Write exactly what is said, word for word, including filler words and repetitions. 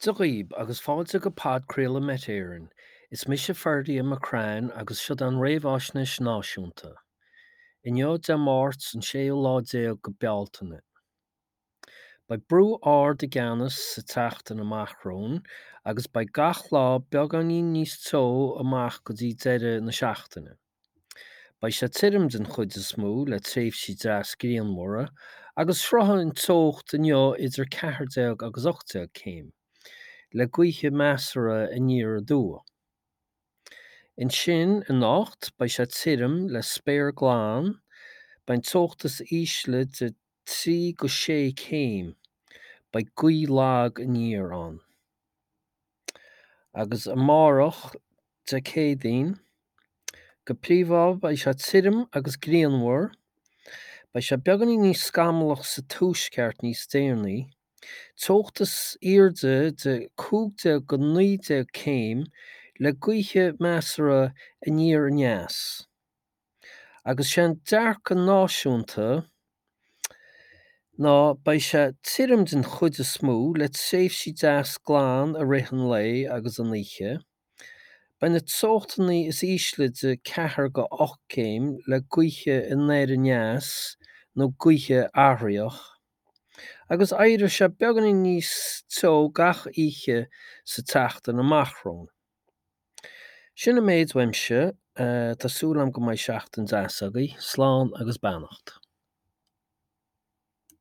Dia dhaoib agus fáilte go podchraoladh Met Éireann. Is mise Ferdia McCrann agus seo an réamhaisnéis náisiúnta. Inniu Dé Máirt an séú lá déag go Bealtaine. Beidh brú ard i gceannas sa tseachtain amach romhainn agus beidh gach lá beagáinín níos teo amach go dtí deireadh na seachtaine. Beidh sé tirim den chuid is mó le tréimhsí deas grianmhara agus sroichfidh an teocht inniu idir ceathair déag agus ocht déag céim, le gaoithe measartha aniar aduaidh. Ansin anocht beidh sé tirim le spéir glan, beidh an teocht is ísle de trí go sé céim, beidh gaoth lag aniar ann. Agus amárach Dé Céadaoin, go príomha beidh sé tirim agus grianmhar, beidh sé beagáinín níos scamallach sa tuaisceart níos deireanaí, teocht is airde de cúig déag go naoi déag céim le gaoithe measartha aniar aneas. Agus sé an dearcadh náisiúnta ná beidh sé tirim den chuid is mó le tréimhsí deas glan i rith an lae agus an oíche. Beidh na teochtanna is ísle de ceathair go ocht céim le gaoithe anoir aneas nó gaoithe athraitheach. Agus éireoidh sé beagáinín níos teo gach oíche sa tseachtain amach romhainn. Sin an méid uaimse, tá súil agam go mbeidh seachtain deas agaibh, slán agus beannacht.